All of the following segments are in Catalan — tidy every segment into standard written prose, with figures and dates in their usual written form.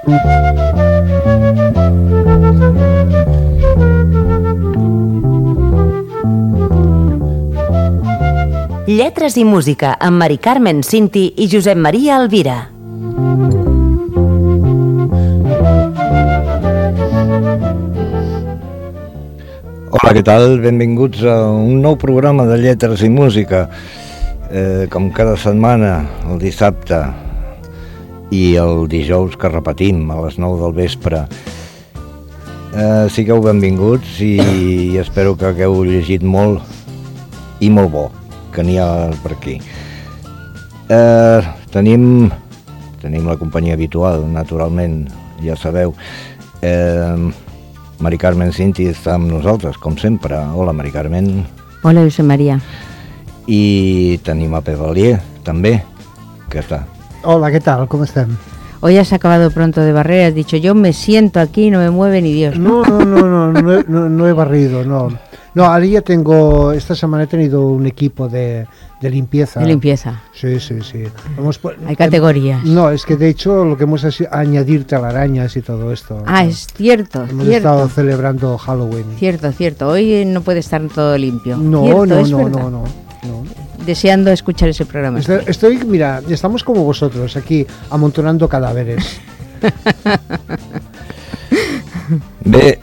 Lletres i música amb Mari Carmen Cinti i Josep Maria Alvira. Hola, què tal? Benvinguts a un nou programa de Lletres i música. Com cada setmana, el dissabte i el dijous que repetim a les 9 del vespre. Sigueu benvinguts i espero que hagueu llegit molt i molt bo, que n'hi ha per aquí. Tenim la companyia habitual, naturalment, ja sabeu. Mari Carmen Cinti està amb nosaltres, com sempre. Hola, Mari Carmen. Hola, Josep María. I tenim a Pep Valier, també, que està. Hola, ¿qué tal? ¿Cómo están? Hoy has acabado pronto de barrer, has dicho, yo me siento aquí, no me mueve ni Dios. No he barrido, no. No, ahora ya esta semana he tenido un equipo de limpieza. De limpieza. Sí. Hay categorías. No, es que de hecho lo que hemos hecho es añadir telarañas y todo esto. Ah, es cierto. Hemos estado celebrando Halloween. Cierto. Hoy no puede estar todo limpio. No. Deseando escuchar ese programa. Mira, estamos como vosotros, aquí amontonando cadáveres. Bé,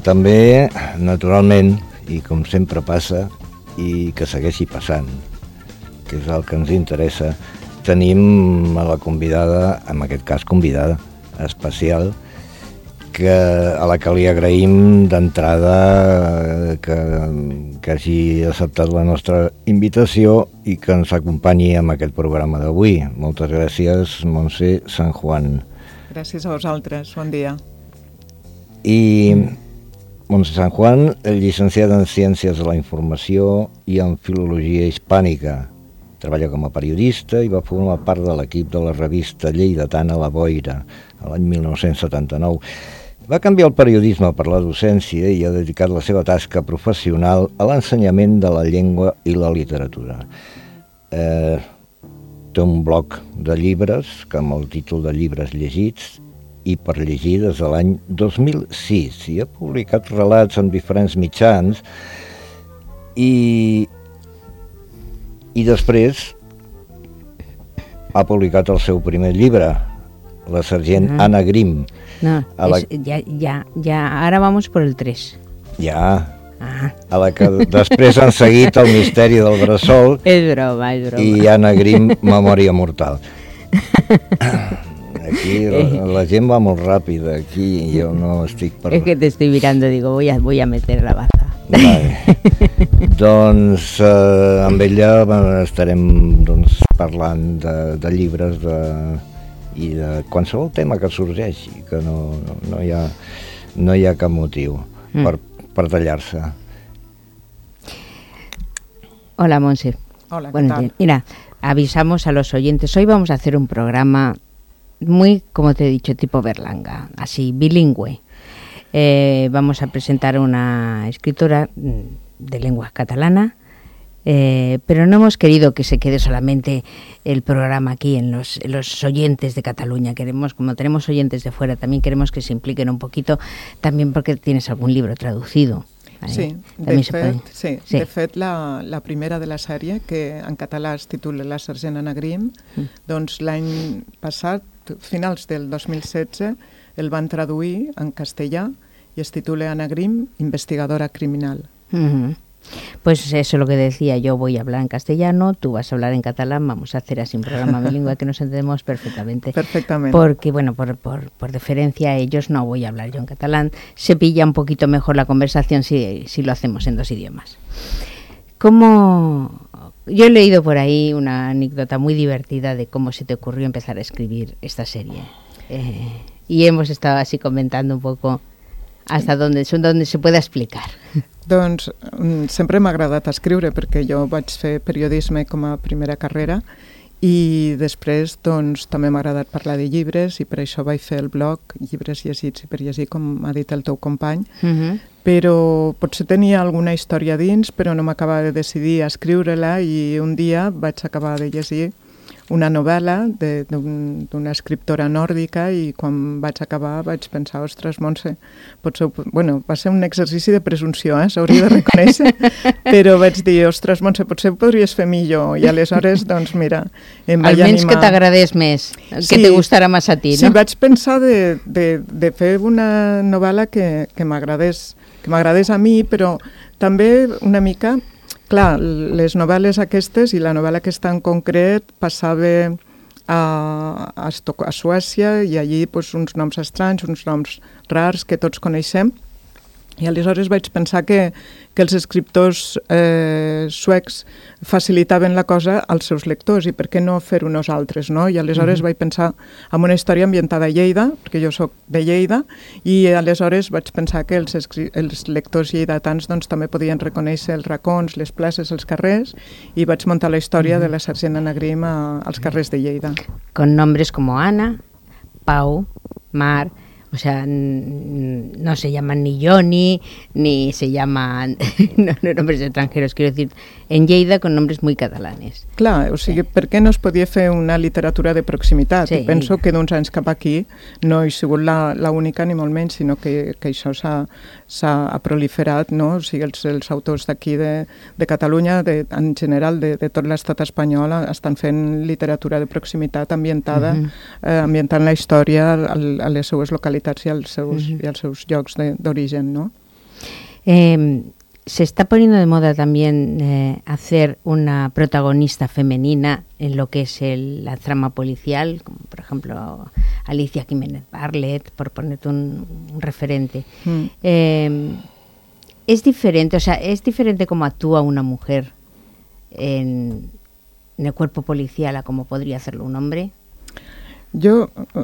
també, naturalment, i com sempre passa, i que segueixi passant, que és el que ens interessa, tenim a la convidada, en aquest cas convidada especial, a la que li agraïm d'entrada que hagi acceptat la nostra invitació i que ens acompanyi en aquest programa d'avui. Moltes gràcies, Montse San Juan. Gràcies a vosaltres, bon dia. I Montse San Juan, llicenciada en Ciències de la Informació i en Filologia Hispànica. Treballa com a periodista i va formar part de l'equip de la revista lleidatana La Boira, l'any 1979. Va canviar el periodisme per la docència i ha dedicat la seva tasca professional a l'ensenyament de la llengua i la literatura. Té un blog de llibres, que amb el títol de Llibres llegits i per llegir des de l'any 2006, i ha publicat relats en diferents mitjans i després ha publicat el seu primer llibre, La sergent Anna Grimm. No, ahora vamos por el 3. Ja, a la que després han seguit El misteri del bressol. És broma. I Anna Grimm, Memòria mortal. Aquí la gent va molt ràpida, aquí jo no estic per... Es que te estoy mirando, digo, voy a meter la baza. Vale. Doncs amb ella estarem parlant de llibres i de qualsevol tema que sorgeixi, que no hi ha cap motiu per tallar-se. Hola, Monse. Hola, ¿qué tal? Mira, avisamos a los oyentes, hoy vamos a hacer un programa muy, como te he dicho, tipo Berlanga, así, bilingüe. Vamos a presentar una escritora de lengua catalana, pero no hemos querido que se quede solamente el programa aquí en los oyentes de Cataluña. Queremos, como tenemos oyentes de fuera, también queremos que se impliquen un poquito, también porque tienes algún libro traducido. Sí, de fet la primera de la sèrie, que en català es titula La sergent Anna Grimm, doncs l'any passat, finals del 2016, el van traduir en castellà y es titula Anna Grimm, investigadora criminal. Pues eso es lo que decía, yo voy a hablar en castellano, tú vas a hablar en catalán, vamos a hacer así un programa bilingüe que nos entendemos perfectamente. Perfectamente. Porque, bueno, por deferencia a ellos no voy a hablar yo en catalán, se pilla un poquito mejor la conversación si lo hacemos en dos idiomas. Yo he leído por ahí una anécdota muy divertida de cómo se te ocurrió empezar a escribir esta serie. Y hemos estado así comentando un poco hasta donde se pueda explicar. Doncs sempre m'ha agradat escriure perquè jo vaig fer periodisme com a primera carrera i després doncs també m'ha agradat parlar de llibres i per això vaig fer el blog Llibres llegits i per llegir, com ha dit el teu company, però potser tenia alguna història dins però no m'acabava de decidir a escriure-la i un dia vaig acabar de llegir una novel·la d'una escriptora nòrdica i quan vaig acabar vaig pensar, ostres, Montse, potser... Bueno, va ser un exercici de presumpció, s'hauria de reconèixer, però vaig dir, ostres, Montse, potser ho podries fer millor, i aleshores, doncs mira, em vaig animar... Almenys que t'agradés més, que te gustara més a ti, no? Sí, vaig pensar de fer una novel·la que m'agradés a mi, però també una mica... Clar, les novel·les aquestes i la novel·la aquesta en concret passava a Suècia i allí doncs, uns noms estranys, uns noms rars que tots coneixem. I aleshores vaig pensar que els escriptors suecs facilitaven la cosa als seus lectors i per què no fer-ho nosaltres, no? I aleshores vaig pensar en una història ambientada a Lleida, perquè jo sóc de Lleida, i aleshores vaig pensar que els lectors lleidatans doncs, també podien reconèixer els racons, les places, els carrers, i vaig muntar la història de la sergent Anna Grimm als carrers de Lleida. Con nombres como Ana, Pau, Mar... O sea, no se llaman ni Johnny, ni se llaman nombres extranjeros, quiero decir, en Lleida con nombres muy catalanes. Clar, o sigui, per què no es podia fer una literatura de proximitat? Sí. I penso que d'uns anys cap aquí no he sigut l'única ni molt menys, sinó que això s'ha proliferat, no? O sigui, els autors d'aquí de Catalunya, en general de tot l'estat espanyol, estan fent literatura de proximitat ambientada, ambientant la història a les seues localitats i als seus llocs d'origen, ¿no? Se está poniendo de moda también hacer una protagonista femenina en lo que es la trama policial, como por ejemplo Alicia Jiménez Barlet, por ponerte un referente. Es diferente, o sea, es diferente cómo actúa una mujer en el cuerpo policial a como podría hacerlo un hombre.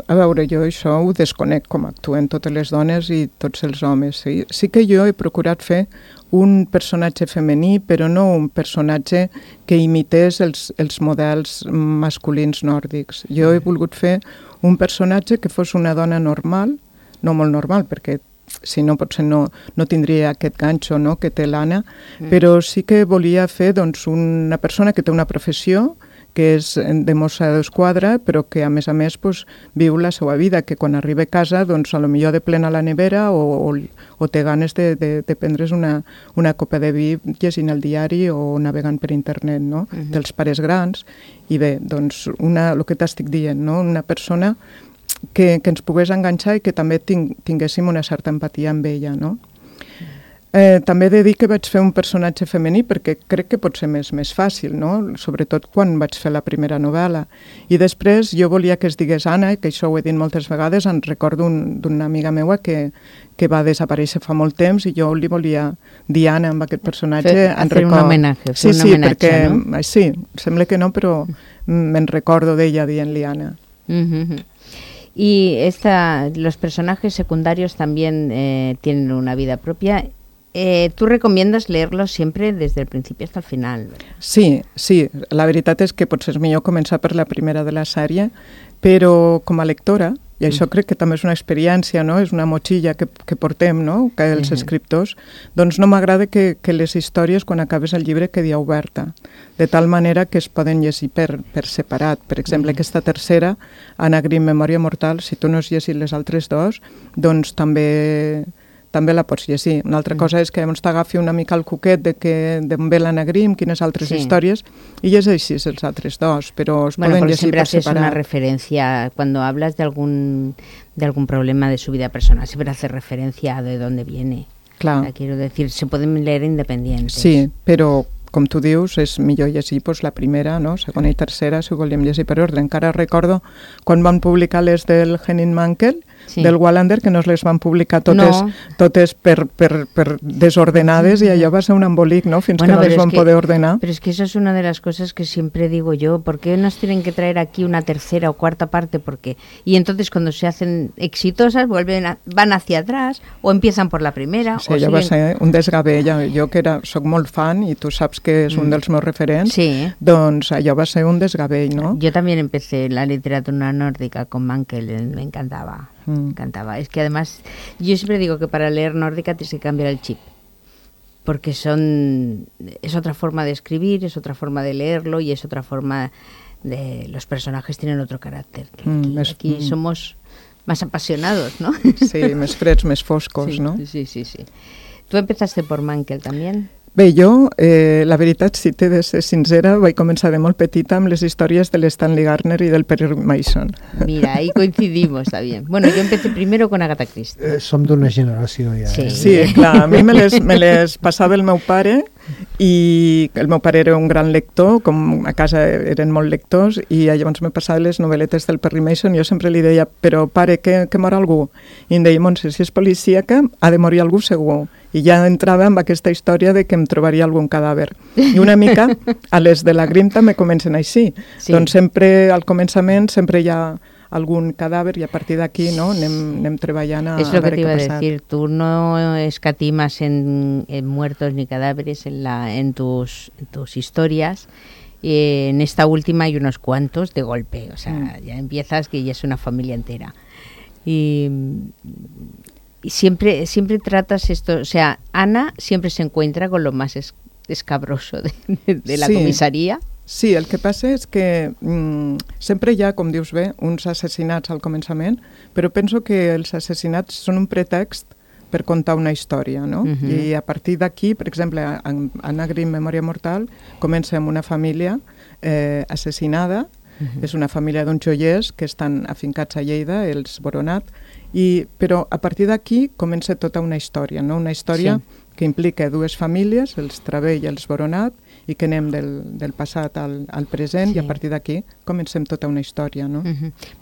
A veure, jo això ho desconec com actuen totes les dones i tots els homes. Sí que jo he procurat fer un personatge femení, però no un personatge que imités els models masculins nòrdics. Jo he volgut fer un personatge que fos una dona normal, no molt normal, perquè si no potser no tindria aquest ganxo, no?, que té l'Anna, però sí que volia fer doncs, una persona que té una professió, que és de mossa d'esquadra, però que a més pues, viu la seva vida, que quan arriba a casa doncs, a lo millor de plena la nevera o té ganes de prendre's una copa de vi llegint el diari o navegant per internet, no? Dels pares grans. I bé, doncs, el que t'estic dient, no? Una persona que ens pogués enganxar i que també tinguéssim una certa empatia amb ella, no? També he de dir que vaig fer un personatge femení perquè crec que pot ser més fàcil, no? Sobretot quan vaig fer la primera novel·la. I després jo volia que es digués Anna, que això ho he dit moltes vegades, en recordo d'una amiga meua que va desaparèixer fa molt temps i jo li volia dir Anna amb aquest personatge. Fer un homenatge, perquè, no? Sí, sembla que no, però me'n recordo d'ella dient-li Anna. Y los personajes secundarios también tienen una vida propia. ¿Tú recomiendas leerlos siempre desde el principio hasta el final? Sí, la veritat és que potser és millor començar per la primera de la sèrie, però com a lectora, i això crec que també és una experiència, no? És una motxilla que portem, no?, que els escriptors, doncs no m'agrada que les històries, quan acabes el llibre, quedi oberta, de tal manera que es poden llegir per separat. Per exemple, aquesta tercera, Anna Grimm, Memòria mortal, si tu no has llegit les altres dos, doncs també la pots llegir. Una altra cosa és que t'agafi una mica el cuquet d'on ve l'Anna Grimm, quines altres històries, i llegeixis els altres dos, però es poden llegir per separat. Siempre haces una referencia, cuando hablas de algún problema de su vida personal, siempre haces referencia a de dónde viene. Clar. O sea, quiero decir, se pueden leer independientes. Sí, però com tu dius, és millor llegir la primera, no? Segona i tercera, si ho volíem llegir per ordre. Encara recordo quan van publicar les del Henning Mankell, del Wallander, que no les van publicar totes per desordenades, y allò va ser un embolic, ¿no?, fins que no les van poder ordenar. Pero es que eso es una de las cosas que siempre digo yo, ¿por qué nos tienen que traer aquí una tercera o cuarta parte? Y entonces cuando se hacen exitosas van hacia atrás o empiezan por la primera. Sí, allò va ser un desgavell. Jo que soc molt fan y tú sabes que es un dels meus referents, doncs allò va ser un desgavell, ¿no? Yo también empecé la literatura nórdica con Mankell, me encantaba. Me encantaba. Es que además, yo siempre digo que para leer nórdica tienes que cambiar el chip, porque es otra forma de escribir, es otra forma de leerlo y es otra forma los personajes tienen otro carácter. Aquí més, somos más apasionados, ¿no? Sí, més freds, més foscos, sí, no? Sí. ¿Tú empezaste por Mankel también? Bé, jo, la veritat, si t'he de ser sincera, vaig començar de molt petita amb les històries de l'Stanley Gardner i del Perry Mason. Mira, ahí coincidimos, está bien. Bueno, yo empecé primero con Agatha Christie. Som d'una generació ja. Sí, clar, a mi me les passava el meu pare, i el meu pare era un gran lector, com a casa eren molt lectors, i llavors me passava les novel·letes del Perry Mason. Jo sempre li deia, però pare, que mor algú? I em deia, Montse, si és policíaca, ha de morir algú segur. I ja entrava amb aquesta història de que em trobaria algun cadàver. I una mica, a les de la Grimm també comencen així. Sí. Doncs sempre, al començament, sempre hi ha algun cadàver, i a partir d'aquí, no, anem treballant a veure què ha passat. Es lo que te iba a decir, tú no escatimas en muertos ni cadáveres en tus historias. En esta última hay unos cuantos de golpe, o sea, ya empiezas que ya es una familia entera. Y siempre tratas esto, o sea, Ana siempre se encuentra con lo más escabroso de la comisaría. Sí, el que passa és que sempre hi ha, com dius bé, uns assassinats al començament, però penso que els assassinats són un pretext per contar una història, no? I a partir d'aquí, per exemple, Anna Grimm, Memòria mortal, comença amb una família assassinada, és una família d'uns joiers que estan afincats a Lleida, els Boronat, però a partir d'aquí comença tota una història, no? Una història que implica dues famílies, els Travell i els Boronat, i que anem del passat al present, y a partir de aquí comencem tota una historia, ¿no?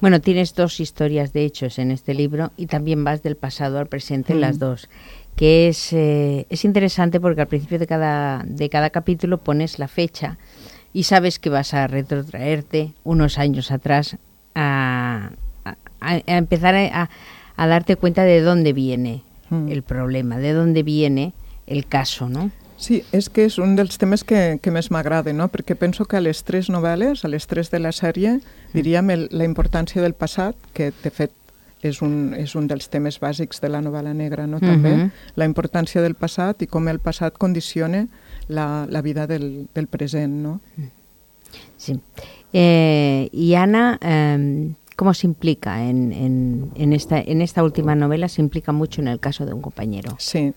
Bueno, tienes dos historias de hechos en este libro y también vas del pasado al presente en las dos, que es interesante porque al principio de cada capítulo pones la fecha y sabes que vas a retrotraerte unos años atrás a empezar a darte cuenta de dónde viene el problema, de dónde viene el caso, ¿no? Sí, és que és un dels temes que més m'agrada, no? Perquè penso que a les tres novel·les, a les tres de la sèrie, diríem la importància del passat, que de fet és un dels temes bàsics de la novel·la negra, no? També la importància del passat i com el passat condiciona la vida del present, no? Sí. Y Ana, ¿cómo se implica en esta última novela? Se implica mucho en el caso de un compañero. Sí.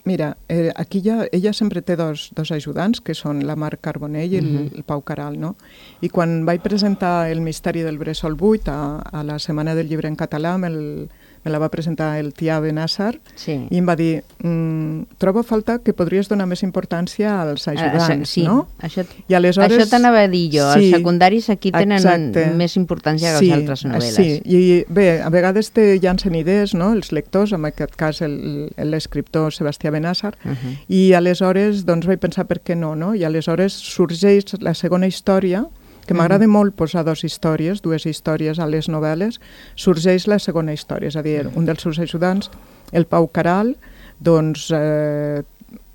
Mira, aquí ella sempre té dos ajudants, que són la Mar Carbonell i el Pau Caral, no? I quan vaig presentar el misteri del Bressol 8 a la Setmana del Llibre en català, me la va presentar el Tià Benàssar, i em va dir, trobo a falta que podries donar més importància als ajudants, no? I aleshores, això t'anava a dir jo, els secundaris aquí tenen més importància que les altres novel·les. Sí, i bé, a vegades te llancen idees, no?, els lectors, en aquest cas l'escriptor Sebastià Benàssar, i aleshores doncs vaig pensar per què no, no? I aleshores sorgeix la segona història, que m'agrada molt posar dues històries a les novel·les, sorgeix la segona història, és a dir, un dels seus ajudants, el Pau Caral, doncs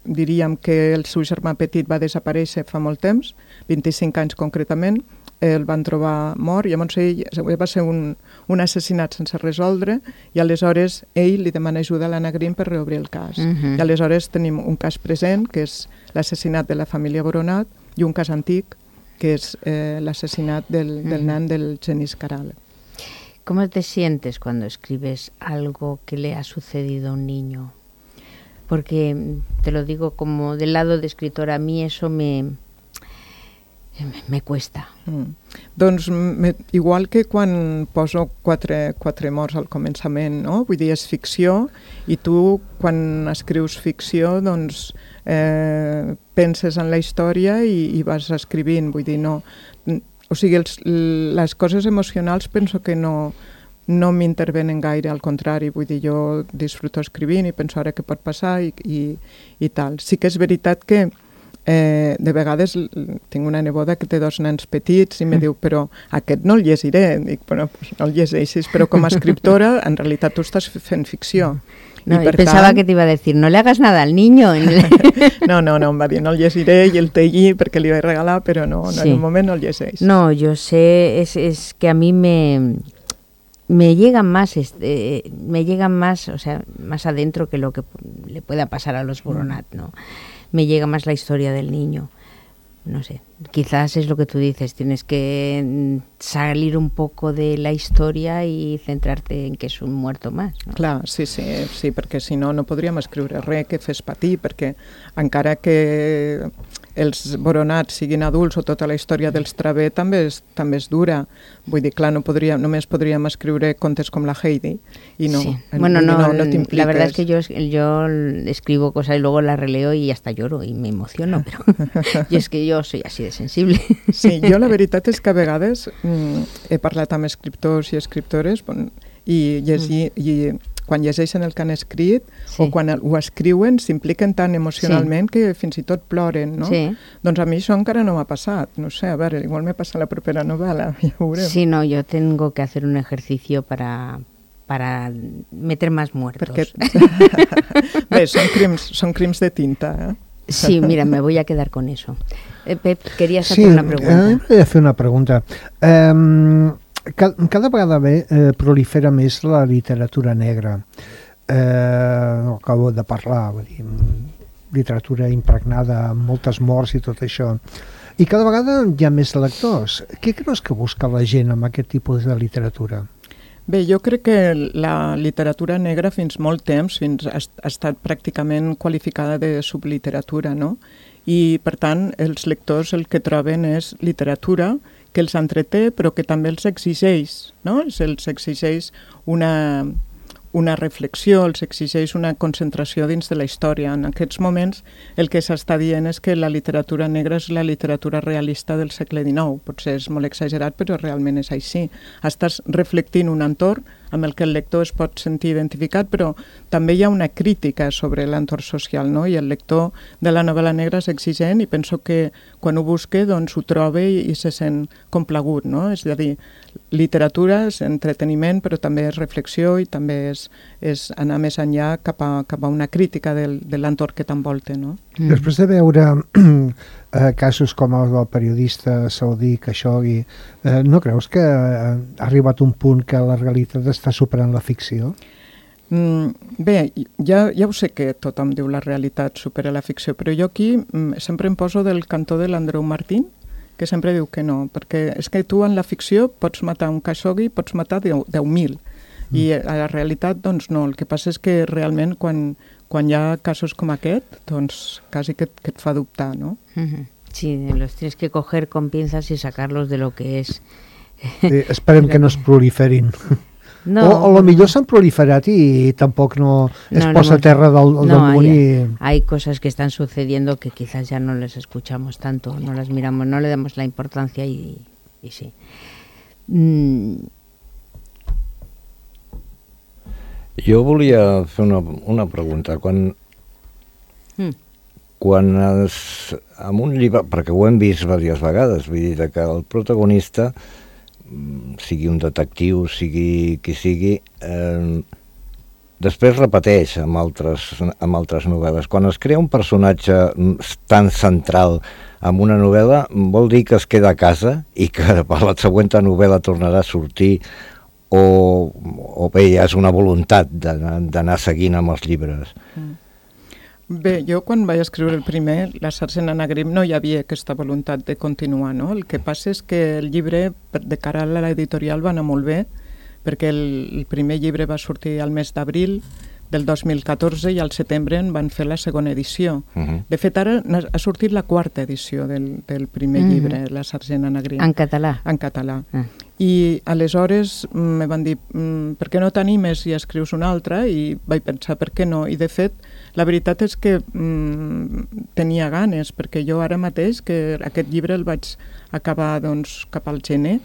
diríem que el seu germà petit va desaparèixer fa molt temps, 25 anys concretament, el van trobar mort, llavors ell va ser un assassinat sense resoldre, i aleshores ell li demana ajuda a l'Anna Grimm per reobrir el cas. I aleshores tenim un cas present, que és l'assassinat de la família Boronat, i un cas antic, que es el asesinato del nan del Genís Caral. ¿Cómo te sientes cuando escribes algo que le ha sucedido a un niño? Porque, te lo digo como del lado de escritora, a mí eso me cuesta. Doncs igual que quan poso quatre morts al començament, no? Vull dir, és ficció, i tu quan escrius ficció doncs penses en la història i vas escrivint, vull dir, no... O sigui, les coses emocionals penso que no m'intervenen gaire, al contrari, vull dir, jo disfruto escrivint i penso ara què pot passar i tal. Sí que és veritat que de vegades tinc una neboda que té dos nens petits i me diu, però aquest no el llegiré. Dic, bueno, pues no el llegeixis, però com a escriptora en realitat tu estàs fent ficció. No, y pensaba que te iba a decir, no le hagas nada al niño. No, em va dir, no el llegiré, i el té allí perquè li vaig regalar, però no, en un moment no el llegeix. No, yo sé, es que a mí me llegan más, o sea, más adentro que lo que le pueda pasar a los Boronat, ¿no? Me llega más la historia del niño, no sé. quizás es lo que tú dices, tienes que salir un poco de la historia y centrarte en que és un muerto más. No? Clar, sí, perquè si no, no podríem escriure res que fes patir, perquè encara que els Boronats siguin adults o tota la història dels Travé també és dura. Vull dir, clar, només podríem escriure contes com la Heidi y no, sí. Bueno, no te impliques. La verdad es que yo escribo cosas y luego las releo y hasta lloro y me emociono, pero y es que yo soy así de sensible. Sí, jo la veritat és que a vegades he parlat amb escriptors i escriptores i quan llegeixen el que han escrit o quan ho escriuen s'impliquen tan emocionalment que fins i tot ploren, no? Sí. Doncs a mi això encara no m'ha passat. No sé, a veure, igual me passa la propera novel·la, ja ho veurem. Sí, no, yo tengo que hacer un ejercicio para meter más muertos. Bé, són crims de tinta, eh? Sí, mira, me voy a quedar con eso. Pep, querías hacer una pregunta. Sí, volia fer una pregunta. Cada vegada prolifera més la literatura negra. Acabo de parlar, vull dir, literatura impregnada amb moltes morts i tot això. I cada vegada hi ha més lectors. Què creus que busca la gent amb aquest tipus de literatura? Bé, jo crec que la literatura negra fins molt temps ha estat pràcticament qualificada de subliteratura, no? I, per tant, els lectors el que troben és literatura que els entreté però que també els exigeix, no? Els exigeix una reflexió, els exigeix una concentració dins de la història. En aquests moments el que s'està dient és que la literatura negra és la literatura realista del segle XIX. Potser és molt exagerat, però realment és així. Estàs reflectint un entorn amb el que el lector es pot sentir identificat, però també hi ha una crítica sobre l'entorn social, no? I el lector de la novel·la negra és exigent i penso que quan ho busca doncs ho troba i se sent complagut, no? És a dir, literatura és entreteniment, però també és reflexió i també és anar més enllà cap a una crítica de l'entorn que t'envolta, no? Després de veure casos com el del periodista saudí Khashoggi, no creus que ha arribat un punt que la realitat està superant la ficció? Bé, ja ho sé que tothom diu la realitat supera la ficció, però jo aquí sempre em poso del cantó de l'Andreu Martín, que sempre diu que no, perquè és que tu en la ficció pots matar un Khashoggi, pots matar 10.000, i a la realitat doncs no. El que passa és que realment quan hi ha casos com aquest, doncs quasi que et fa dubtar, no? Sí, los tienes que coger con pinzas y sacarlos de lo que es. Sí, esperem que no es proliferin. No, o a lo millor s'han proliferat i tampoc no es posa a terra del damunt. Hay cosas que están sucediendo que quizás ya no les escuchamos tanto, no las miramos, no le damos la importancia y sí. Jo volia fer una pregunta. Quan amb un llibre, perquè ho hem vist diverses vegades, vull dir que el protagonista, sigui un detectiu, sigui qui sigui, després repeteix amb altres novel·les. Quan es crea un personatge tan central en una novel·la, vol dir que es queda a casa i que per la següent novel·la tornarà a sortir o bé ja és una voluntat d'anar seguint amb els llibres. Bé, jo quan vaig escriure el primer, La sergent Anna Grimm, no hi havia aquesta voluntat de continuar, no? El que passa és que el llibre, de cara a l'editorial, va anar molt bé, perquè el primer llibre va sortir al mes d'abril del 2014 i al setembre en van fer la segona edició. De fet, ara ha sortit la quarta edició del primer llibre, La sergent Anna Grimm. En català? En català. I aleshores me van dir, per què no t'animes i escrius una altra? I vaig pensar, per què no? I de fet, la veritat és que tenia ganes, perquè jo ara mateix, que aquest llibre el vaig acabar doncs, cap al gener,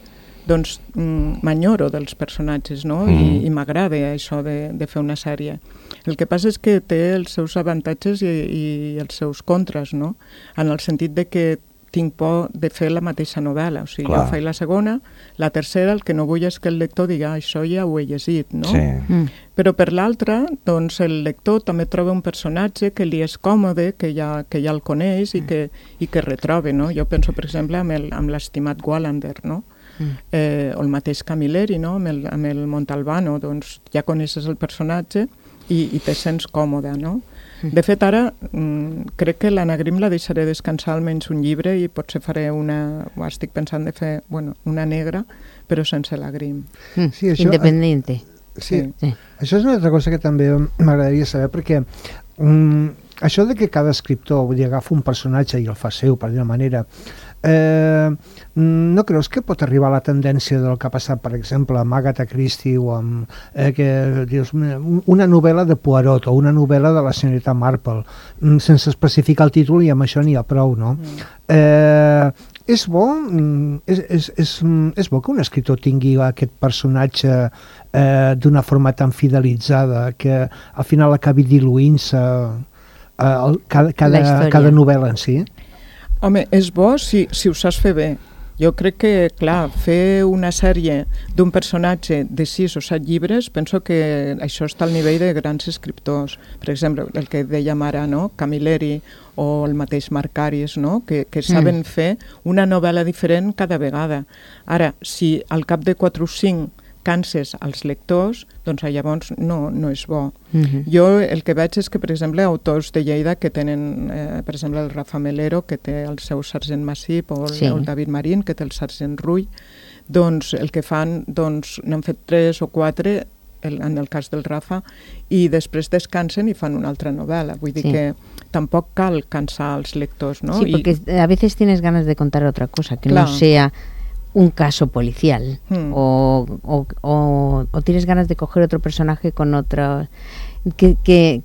doncs m'enyoro dels personatges, no? I m'agrada això de fer una sèrie. El que passa és que té els seus avantatges i els seus contres, no? En el sentit de que tinc por de fer la mateixa novel·la. O sigui, jo faig la segona, la tercera, el que no vull és que el lector diga això ja ho he llegit, no? Sí. Però per l'altra, doncs el lector també troba un personatge que li és còmode, que ja el coneix i que retroba, no? Jo penso, per exemple, amb l'estimat Wallander, no? O el mateix Camilleri, no? Amb el Montalbano, doncs ja coneixes el personatge i te sents còmode, no? De fet, ara crec que l'Anagrim la deixaré descansar almenys un llibre i potser faré estic pensant de fer una negra, però sense la Grim. Sí, això, Independiente. Sí. Això és una altra cosa que també m'agradaria saber, perquè això de que cada escriptor agafa un personatge i el fa seu, per dir-ho manera, no creus que pot arribar a la tendència del que ha passat, per exemple, amb Agatha Christie o amb una novel·la de Poirot o una novel·la de la senyoreta Marple, sense especificar el títol, i amb això n'hi ha prou, no? És bo que un escriptor tingui aquest personatge d'una forma tan fidelitzada que al final acabi diluint-se cada novel·la en si? Home, és bo si ho saps fer bé. Jo crec que, clar, fer una sèrie d'un personatge de 6 o 7 llibres, penso que això està al nivell de grans escriptors. Per exemple, el que dèiem ara, no? Camilleri o el mateix Marc Aris, no? Que saben fer una novel·la diferent cada vegada. Ara, si al cap de 4 o 5 canses als lectors, doncs llavors no és bo. Jo el que veig és que, per exemple, autors de Lleida que tenen, per exemple, el Rafa Melero, que té el seu Sergent Massip, o el David Marín, que té el Sergent Rull, doncs el que fan, doncs n'han fet 3 o 4, en el cas del Rafa, i després descansen i fan una altra novel·la. Vull dir que tampoc cal cansar els lectors, ¿no? Sí, porque a veces tienes ganas de contar otra cosa, que no sea un caso policial o tienes ganas de coger otro personaje con otra que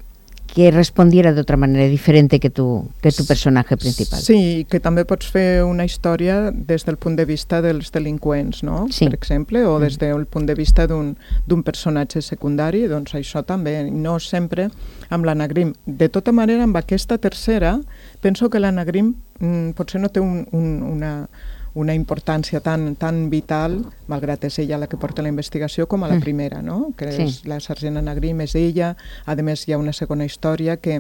respondiera de otra manera diferente que tu personaje principal. Sí, que també pots fer una història des del punt de vista dels delinqüents, no? Sí. Per exemple, o des del punt de vista d'un personatge secundari, doncs això també, no sempre amb l'Anagrim. De tota manera, amb aquesta tercera, penso que l'Anagrim potser no té una importància tan vital, malgrat és ella la que porta la investigació, com a la primera, no? Que és la sergent Anagrim, és ella. A més, hi ha una segona història que,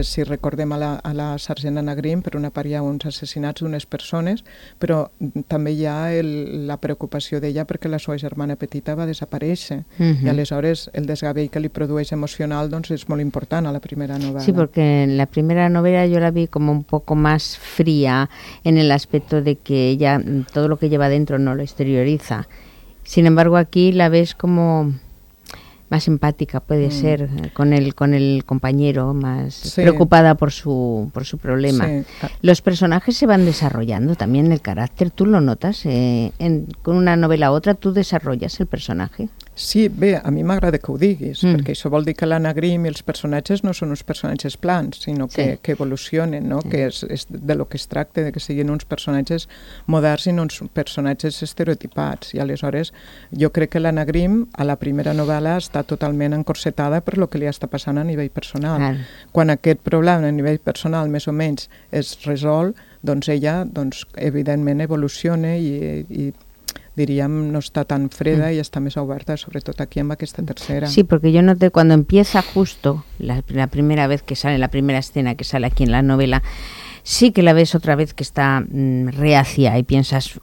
si recordem a la sergent Anagrim, per una part hi ha uns assassinats d'unes persones, però també hi ha la preocupació d'ella perquè la seva germana petita va desaparèixer. I aleshores el desgavell que li produeix emocional doncs és molt important a la primera novel·la. Sí, porque en la primera novela yo la vi como un poco más fría en el aspecto de que ella todo lo que lleva dentro no lo exterioriza. Sin embargo, aquí la ves como más empática, puede ser, con el compañero, más preocupada por su problema. Sí. Los personajes se van desarrollando también, el carácter, ¿tú lo notas? Con una novela a otra, ¿tú desarrollas el personaje? Sí, bé, a mi m'agrada que ho diguis, perquè això vol dir que l'Anagrim i els personatges no són uns personatges plans, sinó que evolucionen, no? Que és de lo que es tracta, de que siguin uns personatges moderns i no uns personatges estereotipats. I aleshores jo crec que l'Anagrim a la primera novel·la està totalment encorsetada per lo que li està passant a nivell personal. Quan aquest problema a nivell personal més o menys es resol, doncs ella evidentment evoluciona i diríem, no está tan freda y está más oberta, sobre todo aquí en esta tercera. Sí, porque yo noté cuando empieza justo la primera vez que sale, la primera escena que sale aquí en la novela, sí que la ves otra vez que está reacia y piensas,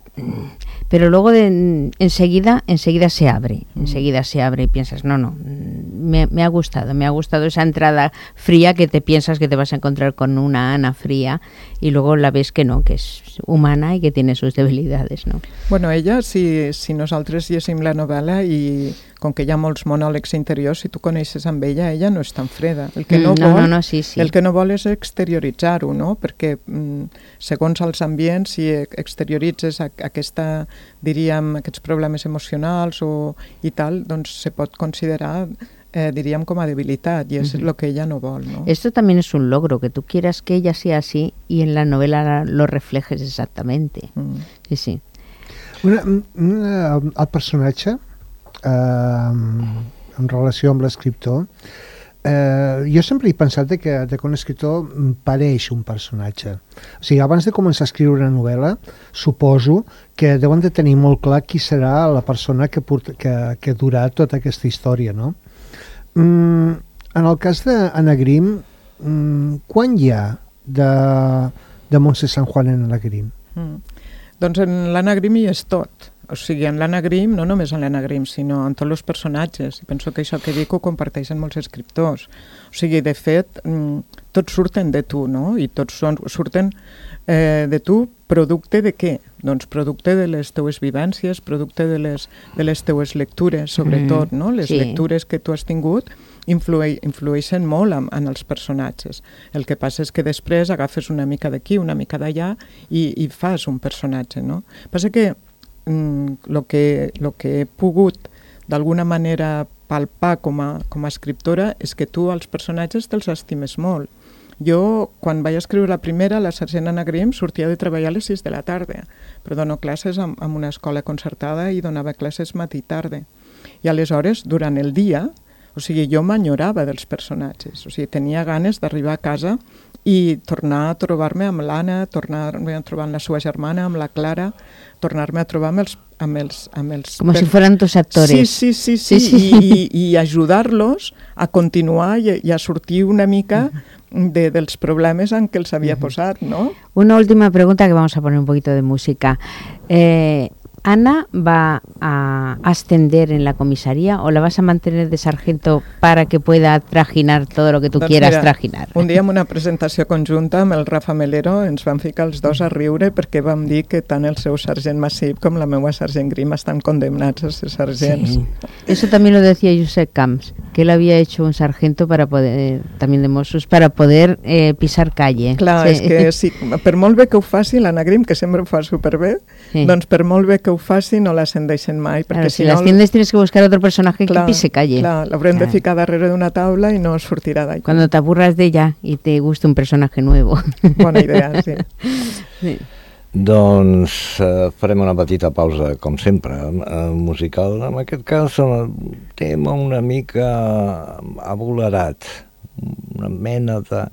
pero luego enseguida se abre, y piensas, no, me ha gustado esa entrada fría que te piensas que te vas a encontrar con una Ana fría y luego la ves que no, que és humana i que tiene sus debilidades, no? Bueno, ella, si nosaltres llegim la novel·la i com que hi ha molts monòlegs interiors, si tu coneixes amb ella no és tan freda. El que no vol és exterioritzar-ho, no? Perquè segons els ambients, si exterioritzes aquesta, diríem, aquests problemes emocionals i tal, doncs se pot considerar diríem com a debilitat i és el que ella no vol, ¿no? Esto también es un logro, que tú quieras que ella sea así y en la novela lo reflejes exactamente. Sí. El personatge en relació amb l'escriptor, jo sempre he pensat que un escriptor pareix un personatge. O sigui, abans de començar a escriure una novel·la, suposo que deuen de tenir molt clar qui serà la persona que durà tota aquesta història, no? En el cas d'Anagrim, quan hi ha de Montse San Juan en Anagrim? Doncs en l'Anagrim hi és tot. O sigui, en l'Anna Grimm, no només en l'Anna Grimm, sinó en tots els personatges. I penso que això que dic ho comparteixen molts escriptors. O sigui, de fet, tots surten de tu, no? I tots surten de tu producte de què? Doncs producte de les teues vivències, producte de les teues lectures, sobretot, no? Les lectures que tu has tingut influeixen molt en els personatges. El que passa és que després agafes una mica d'aquí, una mica d'allà i fas un personatge, no? Passa que el que he pogut d'alguna manera palpar com a escriptora és que tu els personatges te'ls estimes molt. Jo, quan vaig escriure la primera, la sergent Anna Grimm sortia de treballar a les 6 de la tarda, però dono classes en una escola concertada i donava classes matí i tarda. I aleshores, durant el dia, o sigui, jo m'enyorava dels personatges, o sigui, tenia ganes d'arribar a casa i tornar a trobar-me amb l'Anna, tornar-me a trobar amb la seva germana, amb la Clara, tornar-me a trobar amb els com si fueran tus actores. Sí. I ajudar-los a continuar i a sortir una mica dels problemes en què els havia posat, ¿no? Una última pregunta que vamos a poner un poquito de música. ¿Ana va a ascender en la comisaría o la vas a mantener de sargento para que pueda trajinar todo lo que tú quieras trajinar? Un dia en una presentació conjunta amb el Rafa Melero ens vam ficar els dos a riure perquè vam dir que tant el seu sergent Massip com la meva sergent Grimm estan condemnats a ser sergents. Sí. Eso también lo decía Josep Camps, que él había hecho un sargento para poder, también de Mossos, para poder pisar calle. Clar, és que sí, per molt bé que ho faci l'Anna Grimm, que sempre ho fa superbé, doncs per molt bé que ho faci no l'ascendeixen mai. Claro, si l'asciendes tienes que buscar otro personaje que pise calle. Clar, l'haurem de ficar darrere d'una taula i no sortirà d'allà. Cuando te aburras de ella y te guste un personaje nuevo. Bona idea, sí. Sí. Doncs farem una petita pausa, com sempre, musical. En aquest cas, un tema una mica abolerat, una mena de...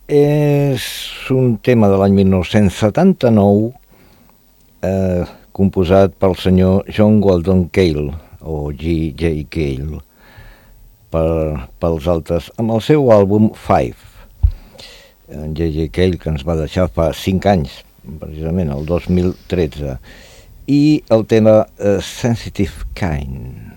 És un tema de l'any 1979, composat pel senyor John Weldon Cale, o G.J. Cale, pels altres, amb el seu àlbum Five. En J.J. Cale, que ens va deixar fa 5 anys, precisament, el 2013, i el tema Sensitive Kind.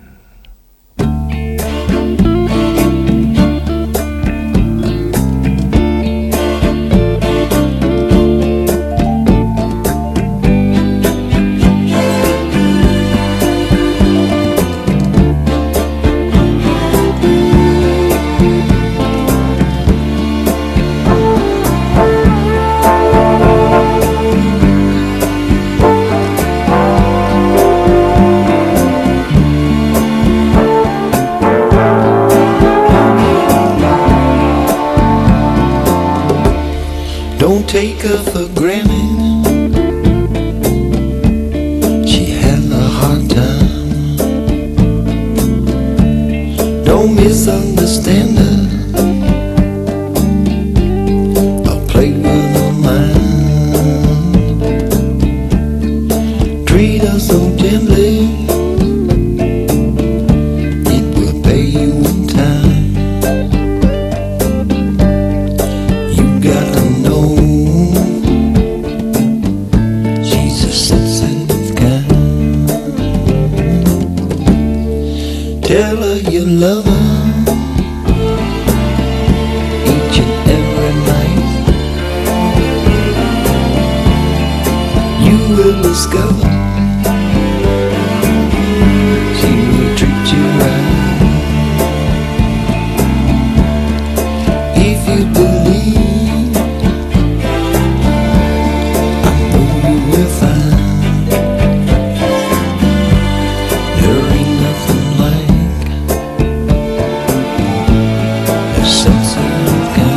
Don't take her for granted. She had a hard time. Don't misunderstand her or play with her mind. Treat her so gently, it will pay you in time. You gotta know she's a sensitive kind. Tell her you love her each and every night. You will discover she will treat you right. If you believe, I know you will find there ain't nothing like a sensitive kind.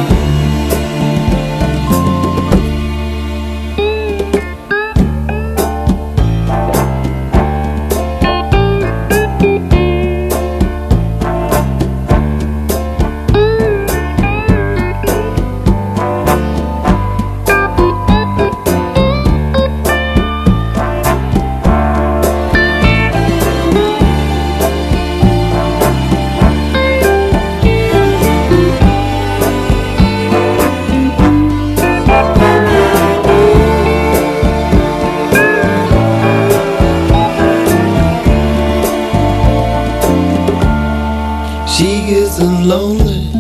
lonely,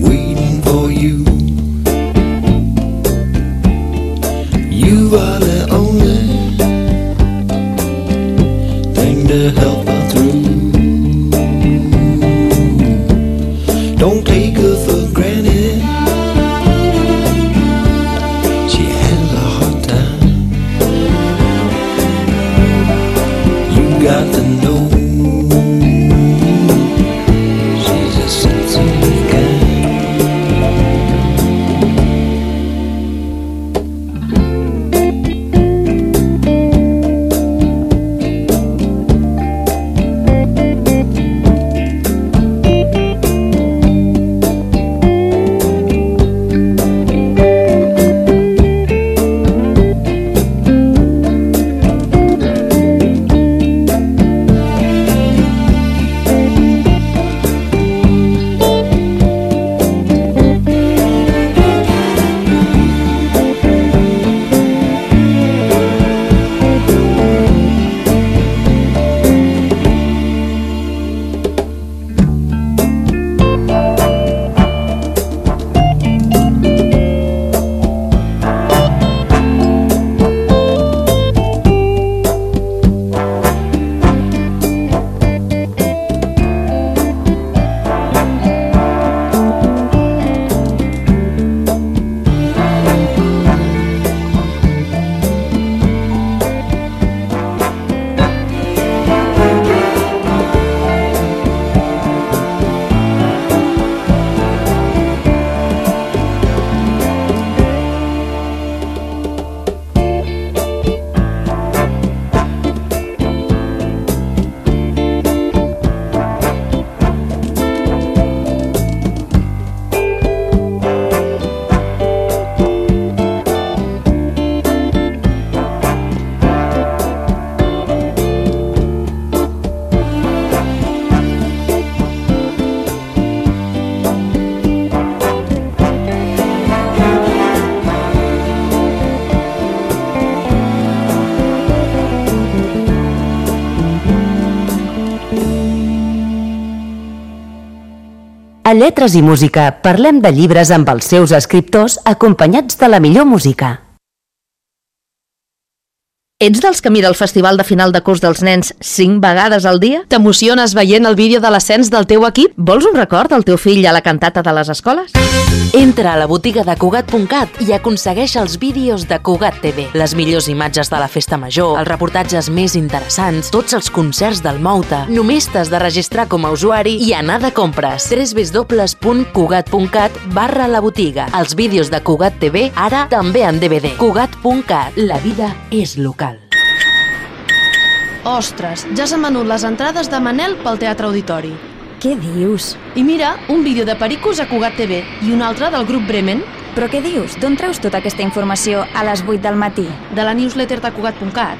waiting for you. You are the only thing to help her through. Don't take her for granted, she has a hard time. You got to know she's a sensitive guy. A Lletres i Música parlem de llibres amb els seus escriptors acompanyats de la millor música. Ets dels que mira el festival de final de curs dels nens 5 vegades al dia? T'emociones veient el vídeo de l'ascens del teu equip? Vols un record del teu fill a la cantata de les escoles? Entra a la botiga de Cugat.cat i aconsegueix els vídeos de Cugat TV. Les millors imatges de la festa major, els reportatges més interessants, tots els concerts del Mouta. Només t'has de registrar com a usuari i anar de compres. www.cugat.cat/la botiga. Els vídeos de Cugat TV ara també en DVD. Cugat.cat. La vida és local. Ostres, ja s'han venut les entrades de Manel pel Teatre Auditori. Què dius? I mira, un vídeo de Pericos a Cugat TV i un altre del grup Bremen. Però què dius? D'on treus tota aquesta informació a les 8 del matí? De la newsletter de Cugat.cat.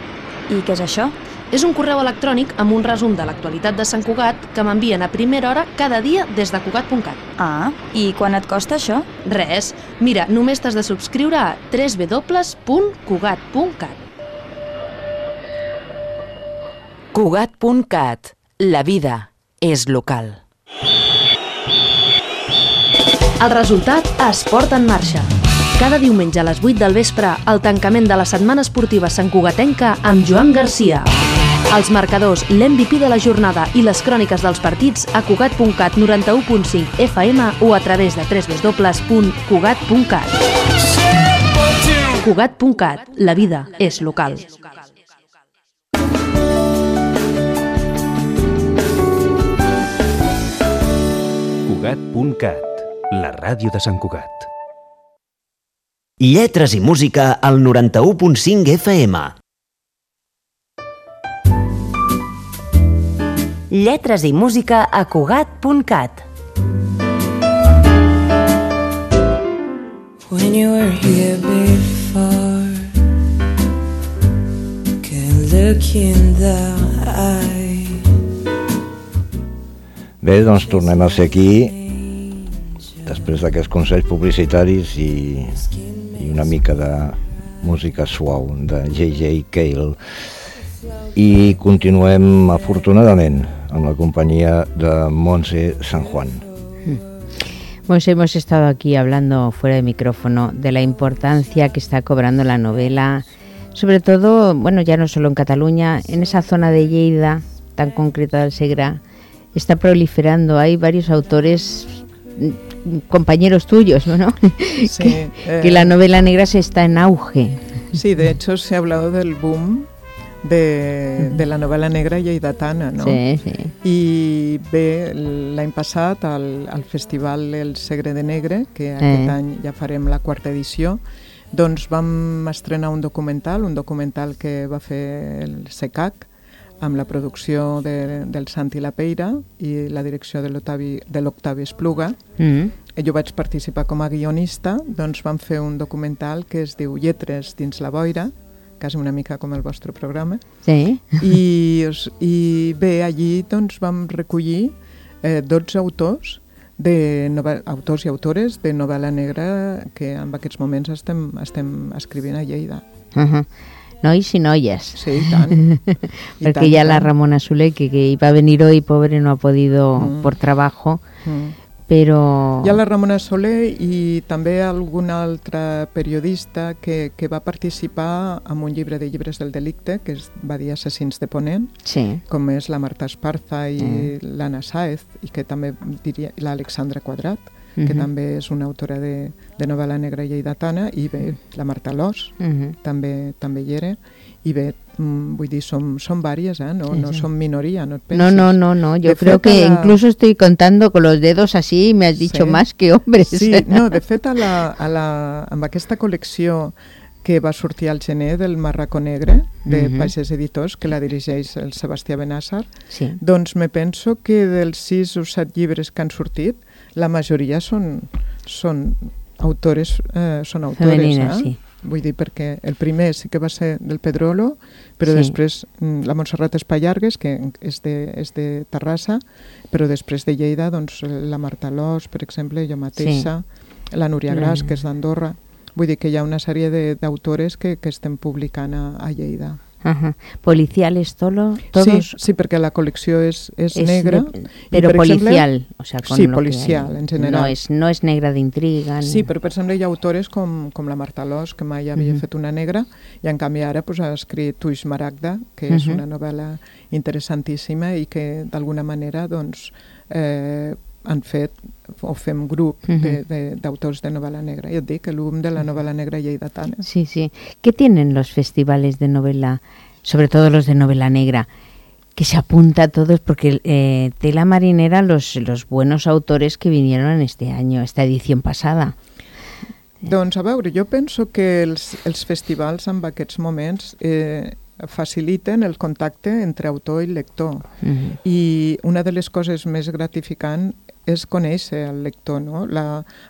I què és això? És un correu electrònic amb un resum de l'actualitat de Sant Cugat que m'envien a primera hora cada dia des de Cugat.cat. Ah, i quan et costa això? Res. Mira, només t'has de subscriure a www.cugat.cat. Cugat.cat. La vida és local. El resultat, Esport en marxa. Cada diumenge a les 8 del vespre, el tancament de la setmana esportiva santcugatenca amb Joan Garcia. Els marcadors, l'MVP de la jornada i les cròniques dels partits a Cugat.cat 91.5 FM o a través de www.cugat.cat. Cugat.cat. La vida és local. Cugat.cat, la ràdio de Sant Cugat. Lletres i música al 91.5 FM. Lletres i música a Cugat.cat. When you were here before, can look in the eye. Bé, doncs tornem a ser aquí després d'aquests consells publicitaris i una mica de música suau de J.J. Cale, i continuem afortunadament amb la companyia de Montse San Juan. Pues hemos estado aquí hablando fuera de micrófono de la importancia que está cobrando la novela, sobre todo, bueno, ya no solo en Cataluña, en esa zona de Lleida, tan concreta del Segre, está proliferando. Hay varios autores, compañeros tuyos, ¿no? Sí, que la novela negra se está en auge. Sí, de hecho se ha hablado del boom de la novel·la negra lleidatana, no? Sí, sí. I bé, l'any passat al Festival El Segre de Negre, que aquest any ja farem la 4ª edició, doncs vam estrenar un documental que va fer el SECAC, amb la producció del Santi Lapeira i la direcció de l'Octavi Espluga. Jo vaig participar com a guionista, doncs vam fer un documental que es diu Lletres dins la boira, quasi una mica com el vostre programa. Sí. I bé, allí doncs vam recollir 12 autors i autores de novel·la negra que en aquests moments estem escrivint a Lleida. Nois y noies. Sí, y tant. Porque ya la Ramona Soler, que iba a venir hoy, pobre, no ha podido por trabajo, però... Hi ha la Ramona Soler i també algun altre periodista que va participar en un llibre de llibres del delicte que es va dir Assassins de Ponent, com és la Marta Esparza i l'Anna Sáez, i que també diria l'Alexandra Quadrat, que també és una autora de novel·la negra lleidatana, i bé, la Marta Lós també hi era, i bé, vull dir, som vàries, no som minoria, no et pensis. No, yo creo que incluso estoy contando con los dedos así y me has dicho más que hombres. Sí, no, de fet, amb aquesta col·lecció que va sortir al gener del Marracó Negre, de Pagès Editors, que la dirigeix el Sebastià Benàsser, doncs me penso que dels 6 o 7 llibres que han sortit, la majoria són autores, femenines, sí. Vull dir, perquè el primer sí que va ser del Pedrolo, però després la Montserrat Espallargues, que és de Terrassa, però després de Lleida, doncs la Marta Lós, per exemple, jo mateixa, la Núria Gras, que és d'Andorra. Vull dir que hi ha una sèrie d'autores que estem publicant a Lleida. ¿Policiales todos? Sí, perquè la col·lecció és negra. Pero policial, o sea, sí, policial, en general. No és negra d'intriga. Sí, però per exemple hi ha autores com la Marta Lós, que mai havia fet una negra, i en canvi ara ha escrit Tuix Maragda, que és una novel·la interessantíssima i que d'alguna manera doncs han fet o fem grup d'autors de novel·la negra. Jo et dic, el boom de la novel·la negra lleidatana. Sí. ¿Qué tienen los festivales de novela, sobre todo los de novela negra, que se apunta a todos? Porque tela marinera los buenos autores que vinieron en este año, esta edición passada. Doncs a veure, jo penso que els festivals en aquests moments faciliten el contacte entre autor i lector. I una de les coses més gratificants és conèixer el lector, no?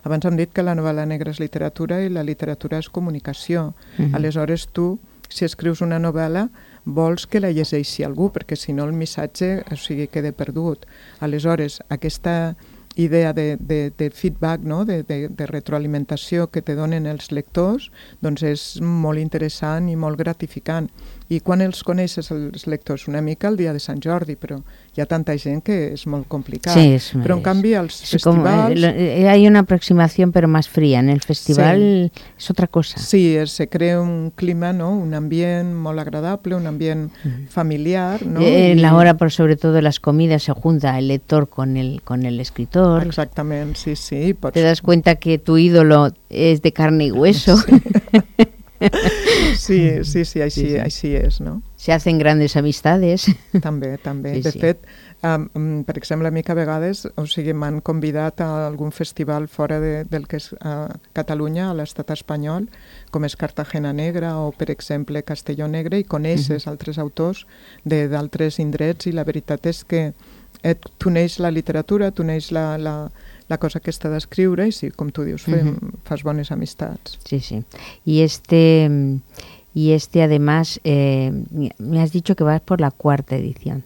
Abans hem dit que la novel·la negra és literatura i la literatura és comunicació. Aleshores tu, si escrius una novel·la, vols que la llegeixi algú, perquè si no el missatge queda perdut. Aleshores, aquesta idea de feedback, no? de retroalimentació que te donen els lectors, doncs és molt interessant i molt gratificant. I quan els coneixes, els lectors? Una mica el dia de Sant Jordi, però hi ha tanta gent que és molt complicat. Sí, però en canvi als festivals... Hay una aproximación pero más fría. En el festival es otra cosa. Sí, se crea un clima, ¿no? Un ambient molt agradable, un ambient familiar, ¿no? En la hora, por sobre todo, de las comidas, se junta el lector con el escritor. Exactament, sí. Te das cuenta que tu ídolo es de carne y hueso. Sí, així és, no? Se hacen grandes amistades. També. De fet, per exemple, a mi que a vegades m'han convidat a algun festival fora del que és Catalunya, a l'estat espanyol, com és Cartagena Negra o, per exemple, Castelló Negre, i coneixes altres autors d'altres indrets, i la veritat és que tu neix la literatura, tu neix la cosa que està d'escriure, i sí, com tu dius, fas bones amistats. Sí. Y además, me has dicho que vas por la 4ª edición.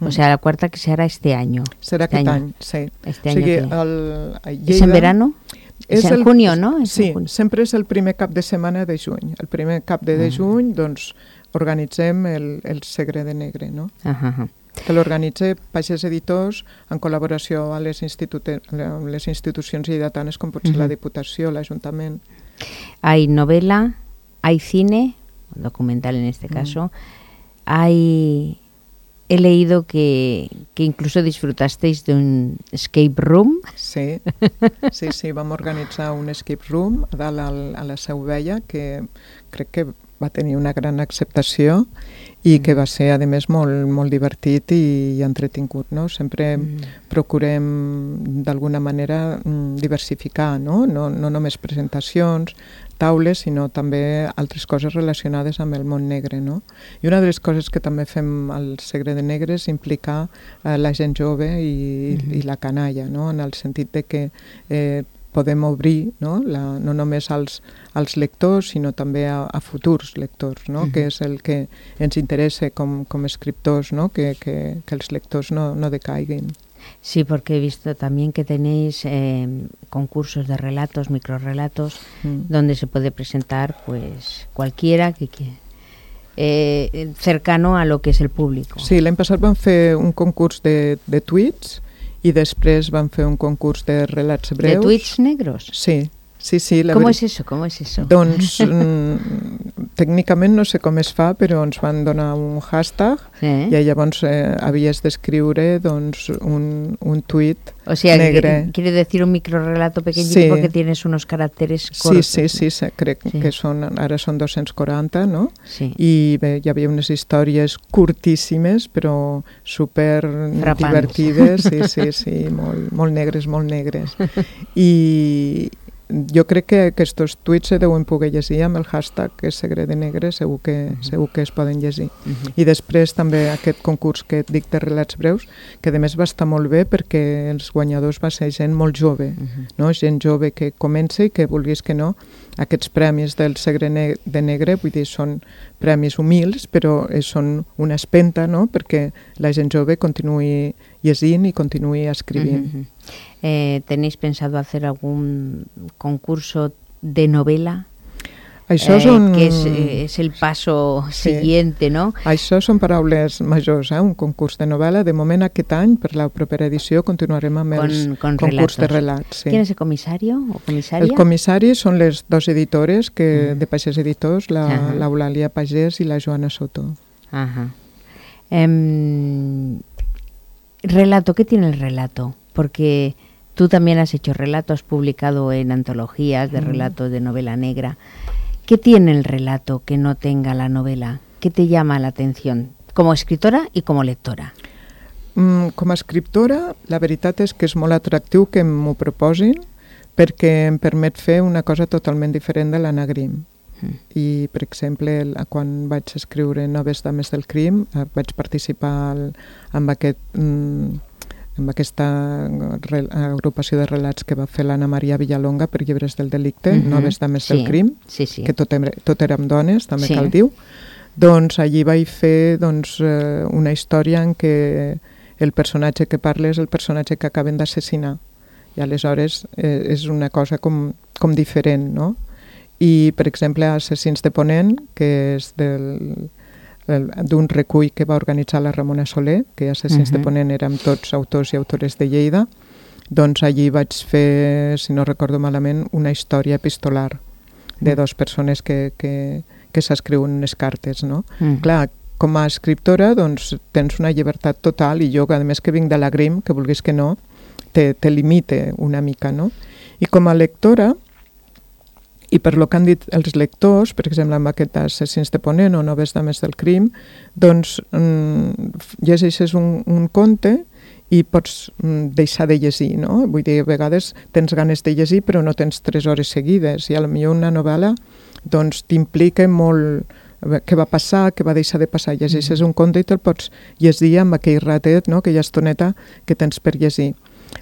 O sea, la 4ª que será este año. Serà aquest any, sí. Este año ¿Es en verano? És en junio, no? Sí, sempre és el primer cap de setmana de juny. El primer cap de juny, doncs, organitzem el Segre de Negre, no? que l'organitza Pagès Editors en col·laboració amb les institucions lleidatanes com pot ser la Diputació, l'Ajuntament. Hay novela, hay cine, documental en este caso, hay... He leído que incluso disfrutasteis de un escape room. Sí, vam organitzar un escape room a dalt a la Seu Vella, que crec que va tenir una gran acceptació i que va ser, a més, molt divertit i entretingut, no? Sempre procurem, d'alguna manera, diversificar, no? No només presentacions, taules, sinó també altres coses relacionades amb el món negre, no? I una de les coses que també fem al Segre de Negre és implicar la gent jove i la canalla, no? En el sentit de que podem obrir, no només als lectors, sinó també a futurs lectors, no? Que és el que ens interessa com escriptors, no? Que els lectors no decaiguin. Sí, porque he visto también que tenéis concursos de relatos, microrrelatos, donde se puede presentar pues cualquiera que cercano a lo que es el público. Sí, l'any passat vam fer un concurs de tuits i després vam fer un concurs de relats breus. ¿De tuits negros? Sí. ¿Cómo es eso? Doncs tècnicament no sé com es fa, però ens van donar un hashtag i llavors havies d'escriure un tuit negre. Quiere decir un microrelato pequeñito porque tienes unos caracteres cortos. Sí, crec que ara són 240, no? Sí. I bé, hi havia unes històries curtíssimes, però super divertides, sí, molt negres. I jo crec que aquests tuits se deuen poder llegir amb el hashtag que és Segre de Negre, segur que es poden llegir. I després també aquest concurs que et dic de relats breus, que a més va estar molt bé perquè els guanyadors va ser gent molt jove, no? Gent jove que comença i que vulguis que no, aquests premis del Segre de Negre, vull dir, són premis humils, però són una espenta, no? Perquè la gent jove continuï llegint i continuï escrivint. ¿Tenéis pensado hacer algún concurso de novela? Això que es el paso siguiente, ¿no? Això són paraules majors, un concurs de novel·la. De moment, aquest any, per la propera edició, continuarem amb el concurs de relats. ¿Quién es el comisario o comisaria? El comissari són les dues editores de Pagès Editors, l'Eulàlia Pagès i la Joana Soto. Relato, ¿qué tiene el relato? Porque tú también has hecho relato, has publicado en antologías de relatos de novela negra. ¿Qué tiene el relato que no tenga la novela? ¿Qué te llama la atención como escritora y como lectora? Com a escriptora, la veritat és que és molt atractiu que m'ho proposin perquè em permet fer una cosa totalment diferent de l'Anna Grimm. I, per exemple, quan vaig escriure Noves dames del crim, vaig participar en aquesta agrupació de relats que va fer l'Anna Maria Villalonga per Llibres del Delicte, Noves dames del crim, que tot érem dones, també cal dir. Doncs allí vaig fer una història en què el personatge que parla és el personatge que acaben d'assassinar. I aleshores és una cosa com diferent, no? I, per exemple, Assassins de Ponent, que és d'un recull que va organitzar la Ramona Soler, que Assassins de Ponent érem tots autors i autores de Lleida, doncs allí vaig fer, si no recordo malament, una història epistolar de dues persones que s'escriuen unes cartes, no? Clar, com a escriptora doncs tens una llibertat total i jo, a més que vinc de la Grimm, que vulguis que no, te limite una mica, no? I com a lectora, i per lo que han dit els lectors, per exemple, amb aquest Assassins de Ponent o Noves dames del crim, doncs llegeixes un conte i pots deixar de llegir, no? Vull dir, a vegades tens ganes de llegir però no tens 3 hores seguides i potser una novel·la doncs t'implica molt què va passar, què va deixar de passar. Llegeixes un conte i te'l pots llegir amb aquell ratet, no? Aquella estoneta que tens per llegir.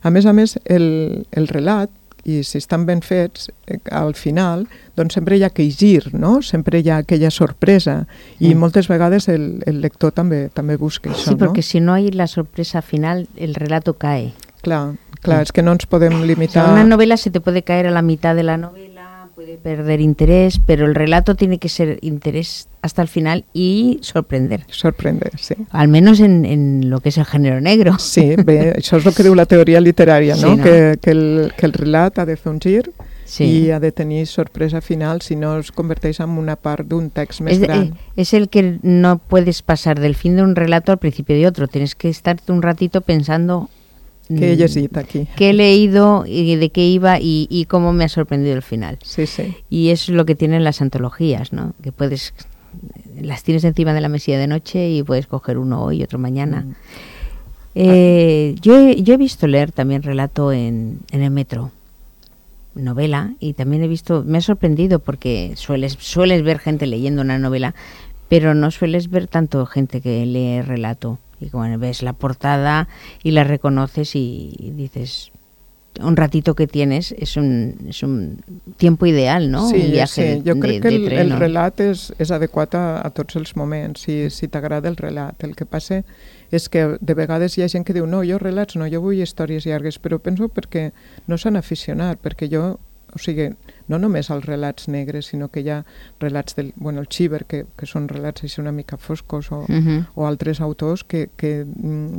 A més, el relat, i si estan ben fets, al final, doncs sempre hi ha aquell gir, no? Sempre hi ha aquella sorpresa i moltes vegades el lector també busca això, no? Sí, porque si no hay la sorpresa final, el relato cae. Clar, és que no ens podem limitar... O sea, una novela se te puede caer a la mitad de la novela, puede perder interés, pero el relato tiene que ser interés hasta el final y sorprender. Sorprender, sí. Al menos en lo que es el género negro. Sí, bé, això és el que diu la teoria literària, no? Sí, no? Que el relat ha de fer un gir Sí. i ha de tenir sorpresa final, si no es converteix en una part d'un text més gran. Es el que no puedes pasar del fin de un relato al principio de otro. Tienes que estarte un ratito pensando ¿Qué he llegit aquí? qué he leído y de qué iba y cómo me ha sorprendido el final. Sí, sí. Y es lo que tienen las antologías, ¿no? Que las tienes encima de la mesilla de noche y puedes coger uno hoy y otro mañana. Yo he visto leer también relato en el metro, novela, y también me ha sorprendido porque sueles ver gente leyendo una novela, pero no sueles ver tanto gente que lee relato. Y como ves la portada y la reconoces y dices, un ratito que tienes es un tiempo ideal, ¿no? Sí, un viaje sí. Jo crec que tren, el relat és adequat a tots els moments, si t'agrada el relat. El que passa és que de vegades hi ha gent que diu no, jo relats no, jo vull històries llargues, però penso perquè no s'han aficionat, perquè jo, o sigui, no només els relats negres, sinó que hi ha relats del, bueno, el Chiver, que són relats així una mica foscos, o altres autors que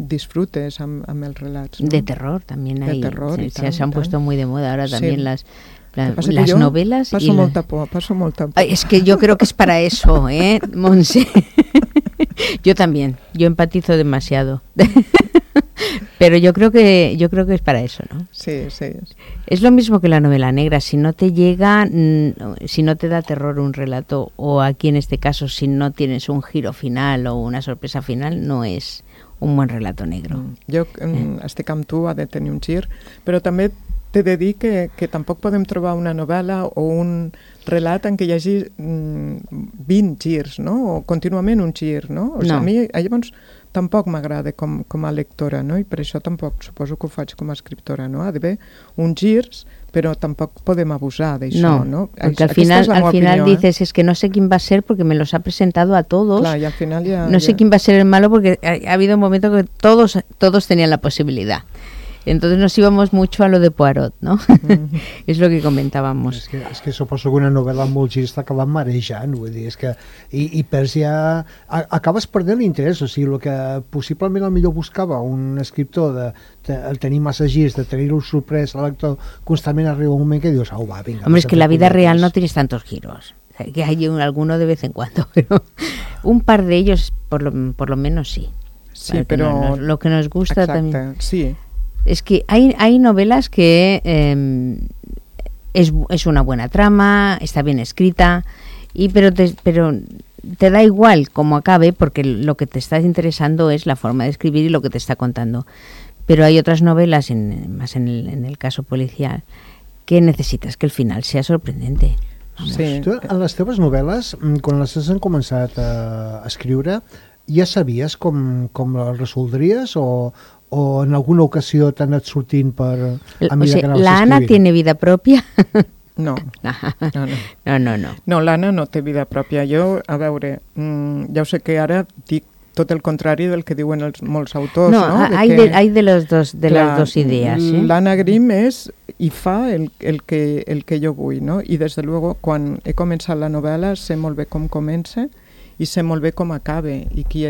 disfrutes amb els relats. ¿no? De terror también hay. De terror, se han puesto muy de moda ahora también las yo novelas. Paso molta por. Ay, es que yo creo que es para eso, Monse. Yo también, yo empatizo demasiado. Pero yo creo que es para eso, ¿no? Sí, sí. Es lo mismo que la novela negra. Si no te llega, si no te da terror un relato, o aquí en este caso, si no tienes un giro final o una sorpresa final, no es un buen relato negro. Jo estic amb tu, ha de tenir un gir, però també t'he de dir que tampoc podem trobar una novel·la o un relat en què hi hagi 20 girs, no? O contínuament un gir, no? O sigui, a mi llavors tampoc m'agrada com a lectora, no? I per això tampoc suposo que ho faig com a escriptora, no? Ha d'haver uns girs, però tampoc podem abusar d'això, ¿no? Porque al final dices, es que no sé quién va a ser porque me los ha presentado a todos. Claro, y al final no sé quién va a ser el malo porque ha habido un momento que todos tenían la posibilidad. Entonces nos íbamos mucho a lo de Poirot, ¿no? És lo que comentábamos. És que suposo que una novel·la amb molts girs t'acaba marejant, vull dir, és que i perds ja... Acabes perdent l'interès, o sigui, el que possiblement el millor buscava un escriptor de tenir massa girs, de tenir-lo sorprès al lector, constantment arriba un moment que dius, au, va, vinga. Hombre, es que la vida real no tienes tantos giros, o sea, que hay alguno de vez en cuando, pero un par de ellos por lo menos sí. Sí, pero... Lo que nos gusta Exacte, también... sí. Es que hay novelas que es una buena trama, está bien escrita, pero te da igual cómo acabe porque lo que te está interesando es la forma de escribir y lo que te está contando. Pero hay otras novelas, más en el caso policial, que necesitas que el final sea sorprendente. Sí. Tu, en les teves novel·les, quan les has començat a escriure, ja sabies com les resoldries o en alguna ocasió t'ha anat sortint per a mesura que anaves ¿La Ana escrivint? tiene vida propia? No. No. No, l'Anna no té vida pròpia. Jo, a veure, ja ho sé que ara dic tot el contrari del que diuen molts autors, no? Hay de las dos ideas. L'Anna Grimm és i fa el que jo vull, no? I des de luego, quan he començat la novel·la, sé molt bé com comença i sé molt bé com acabe i qui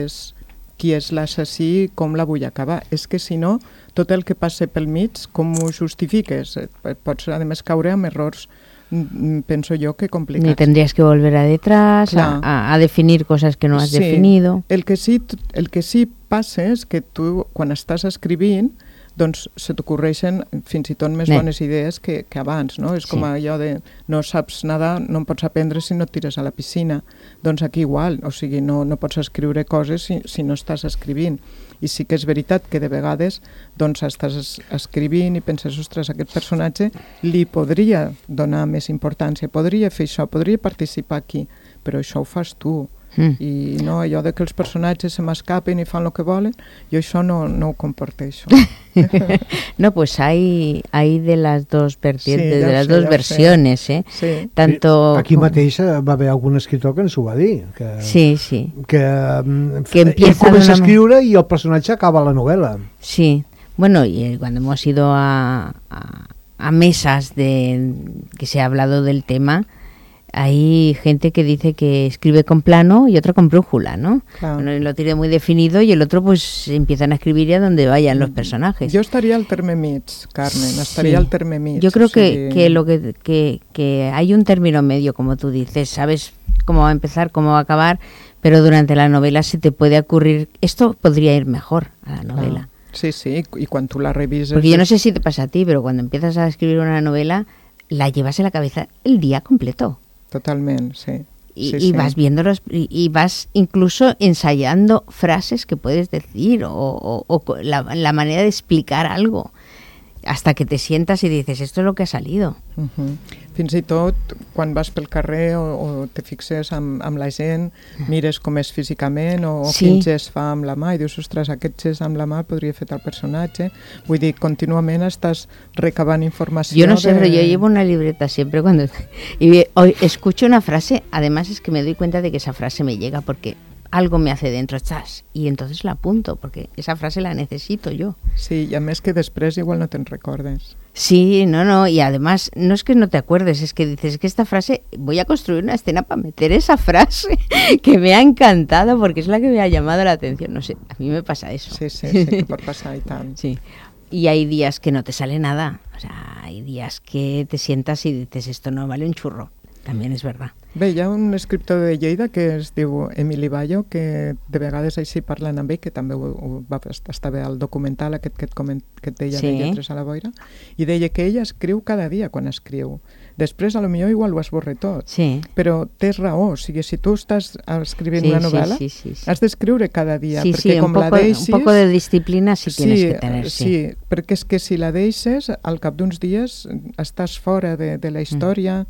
és l'assassí, com la vull acabar. És que si no, tot el que passa pel mig, com ho justifiques? Pots, a més, caure amb errors, penso jo, que complicats. Ni tendrías que volver a detrás, a definir cosas que no has definido. El que sí passa és que tu, quan estàs escrivint, doncs se t'ocorreixen fins i tot més bones idees que abans, no? És com allò de no saps nedar, no en pots aprendre si no et tires a la piscina. Doncs aquí igual, o sigui, no pots escriure coses si no estàs escrivint. I sí que és veritat que de vegades doncs estàs escrivint i penses, ostres, aquest personatge li podria donar més importància, podria fer això, podria participar aquí, però això ho fas tu. I no, allò de que els personatges se m'escapen i fan el que volen, jo això no ho comparteixo. No, pues hay de las dos vertientes, de las dos versiones, Sí. Tanto... Aquí mateix va haver algun escritor que ens ho va dir. Que empieza comença a escriure i el personatge acaba la novel·la. Sí, bueno, y cuando hemos ido a mesas que se ha hablado del tema, hay gente que dice que escribe con plano y otra con brújula, ¿no? Claro. Uno lo tiene muy definido y el otro pues empiezan a escribir a donde vayan los personajes. Jo estaria al terme mig, Carmen, estaria al terme mig. Yo creo que hay un término medio, como tú dices, sabes cómo va a empezar, cómo va a acabar, pero durante la novela se te puede ocurrir, esto podría ir mejor a la novela. Sí, y cuando tú la revises... Porque yo no sé si te pasa a ti, pero cuando empiezas a escribir una novela, la llevas en la cabeza el día completo. Totalmente, sí. Y vas viéndolos y vas incluso ensayando frases que puedes decir o la manera de explicar algo hasta que te sientas y dices, esto es lo que ha salido. Fins i tot, quan vas pel carrer o te fixes amb la gent, mires com és físicament o quin gest fa amb la mà i dius, ostres, aquest gest amb la mà podria fer tal personatge. Vull dir, contínuament estàs recabant informació. Yo no sé, pero yo llevo una libreta siempre cuando... Y hoy escucho una frase, además es que me doy cuenta de que esa frase me llega porque algo me hace dentro, ¡chas! Y entonces la apunto, porque esa frase la necesito yo. Sí, y a més que després igual no te'n recordes. Sí, no, y además no es que no te acuerdes, es que dices que esta frase, voy a construir una escena para meter esa frase que me ha encantado porque es la que me ha llamado la atención. No sé, a mí me pasa eso. Sí, que pot passar i tant. Sí. Y hay días que no te sale nada, o sea, hay días que te sientas y dices, esto no vale un churro. También és verdad. Bé, hi ha un escriptor de Lleida que es diu Emili Bayo, que de vegades així parlen amb ell, que també va estar bé al documental aquest que et deia de Lletres a la boira, i deia que ella escriu cada dia quan escriu. Després, a lo millor, igual ho esborra tot. Sí. Però tens raó, o sigui, si tu estàs escrivint una novel·la, has d'escriure cada dia, perquè com la deixis... un poco de disciplina sí tienes que tener, sí, perquè és que si la deixes, al cap d'uns dies estàs fora de la història,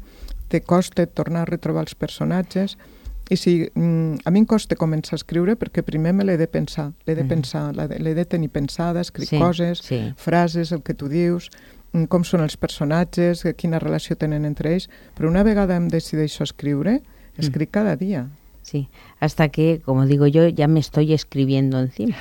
te costa tornar a retrobar els personatges i si a mi em costa començar a escriure perquè primer me l'he de pensar, l'he de tenir pensada, escric coses, frases, el que tu dius, com són els personatges, quina relació tenen entre ells, però una vegada em decideixo escriure, escric cada dia. Sí, hasta que, como digo yo, ya me estoy escribiendo encima.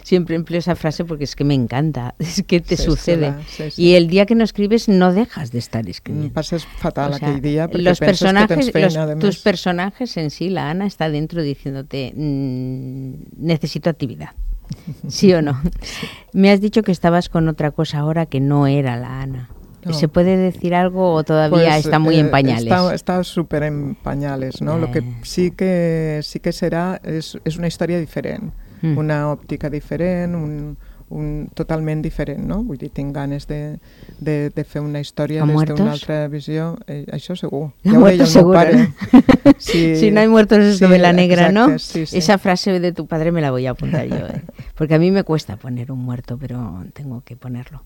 Siempre empleo esa frase porque es que me encanta, es que te sucede. Y el día que no escribes no dejas de estar escribiendo. Pasas fatal aquel día porque penses que tens feina. Tus personajes en sí, la Ana está dentro diciéndote, necesito actividad. ¿Sí o no? Me has dicho que estabas con otra cosa ahora que no era la Ana. No. ¿Se puede decir algo o todavía está muy en pañales? Está súper en pañales, ¿no? Lo que sí que será es una història diferent, una òptica diferent, totalment diferent, no? Vull dir, tinc ganes de fer una història des d'una altra visió. Això segur. Ja ho deia el meu pare. Si no hay muertos es novela negra, ¿no? Sí. Esa frase de tu padre me la voy a apuntar yo, porque a mí me cuesta poner un muerto, pero tengo que ponerlo.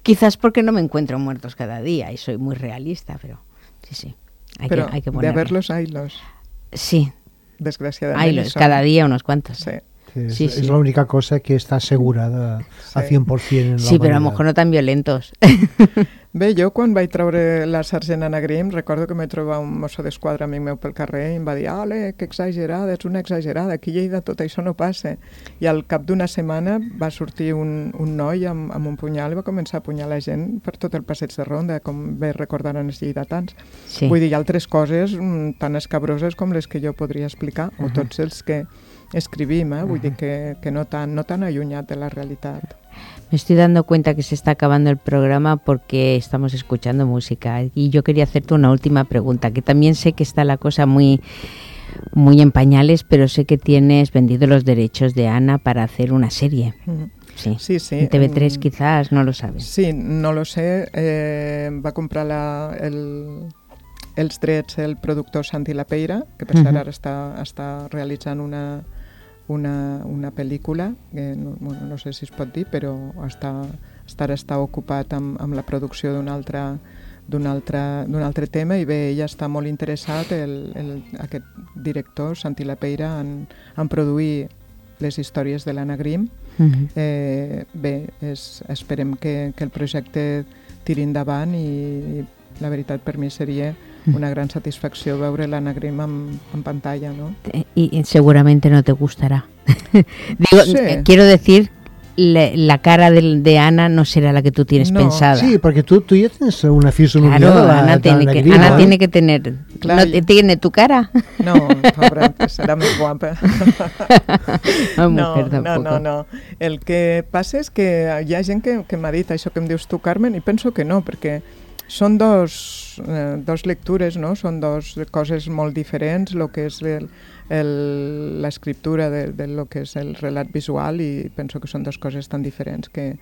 Quizás porque no me encuentro muertos cada día y soy muy realista, pero sí, hay que ponerlo. De haberlos, haylos. Sí. Desgraciadamente. Haylos, cada día unos cuantos. Sí. Es la única cosa que está asegurada a 100% en la Sí, pero a lo mejor no tan violentos. Bé, jo quan vaig treure la Sergent Anna Grimm recordo que m'he trobat un mosso d'esquadra amic meu pel carrer i em va dir, ole, que exagerada, ets una exagerada, aquí a Lleida tot això no passa. I al cap d'una setmana va sortir un noi amb un punyal i va començar a apunyalar la gent per tot el passeig de Ronda, com bé recordaran els lleidatans. Sí. Vull dir, hi ha altres coses tan escabroses com les que jo podria explicar, o tots els que escribim, vull dir que no tan allunyat de la realitat. Me estoy dando cuenta que se está acabando el programa porque estamos escuchando música y yo quería hacerte una última pregunta, que también sé que está la cosa muy en pañales, pero sé que tienes vendido los derechos de Ana para hacer una serie. Sí. En TV3 quizás, no lo sabes. Sí, no lo sé. Va comprar els drets el productor Santi Lapeira, que per cert ara està realitzant una pel·lícula, que no sé si es pot dir, però ara està ocupat amb la producció d'un altre tema i bé, ella està molt interessat, aquest director, Santi Lapeira, en produir les històries de l'Anna Grimm. Bé, esperem que el projecte tiri endavant i la veritat per mi seria una gran satisfacció veure l'Anna Grimm en pantalla, ¿no? Y seguramente no te gustará. Sí. Quiero decir la cara de Ana no será la que tú tienes pensada. Sí, porque tú ya tienes una fisonomía claro, de la Ana tiene que tener. Claro. ¿No tiene tu cara? No, pobra, serà més guapa. No. El que passa és que hi ha gent que m'ha dit això que em dius tu, Carmen, i penso que no, perquè són dos lectures, no? Són dos coses molt diferents, el que és l'escriptura de lo que és el relat visual, i penso que són dues coses tan diferents que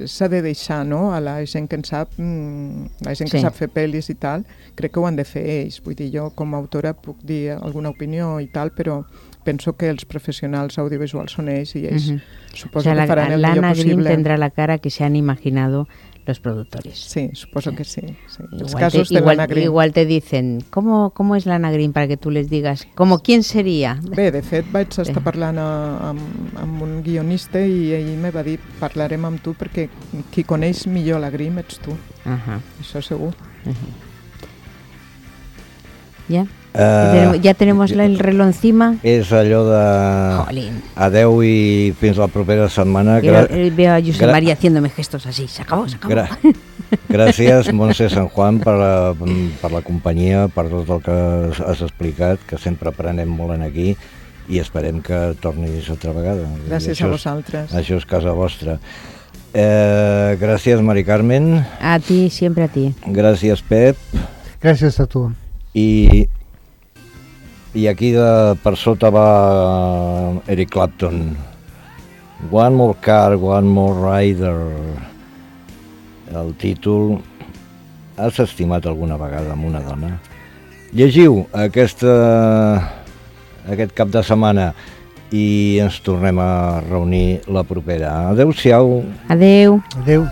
s'ha de deixar, no? A la gent que en sap, la gent que sap fer pel·lis i tal, crec que ho han de fer ells. Vull dir, jo com a autora puc dir alguna opinió i tal, però penso que els professionals audiovisuals són ells i ells suposo que faran el millor possible. Lana Green tendrá la cara que se han imaginado los productores. Sí, suposo que sí. Los casos de Lana Green. Igual te dicen, ¿cómo es Lana Green? Para que tú les digas, ¿quién sería? Bé, de fet, vaig estar parlant amb un guionista i ell me va dir, parlarem amb tu perquè qui coneix millor la Green ets tu. Això segur. ¿Ya? ¿Ya tenemos el reloj encima? És allò de adeu i fins la propera setmana. Veo a Josep María haciéndome gestos así. Se acabó. Gràcies, Montse San Juan, per la companyia, per tot el que has explicat, que sempre aprenem molt aquí, i esperem que tornis altra vegada. Gràcies a vosaltres. Això és casa vostra. Gràcies, Mari Carmen. A ti, siempre a ti. Gràcies, Pep. Gràcies a tu. I aquí per sota va Eric Clapton. One More Car, One More Rider. El títol, has estimat alguna vegada amb una dona? Llegiu aquest cap de setmana i ens tornem a reunir la propera. Adéu-siau. Adéu. Adéu.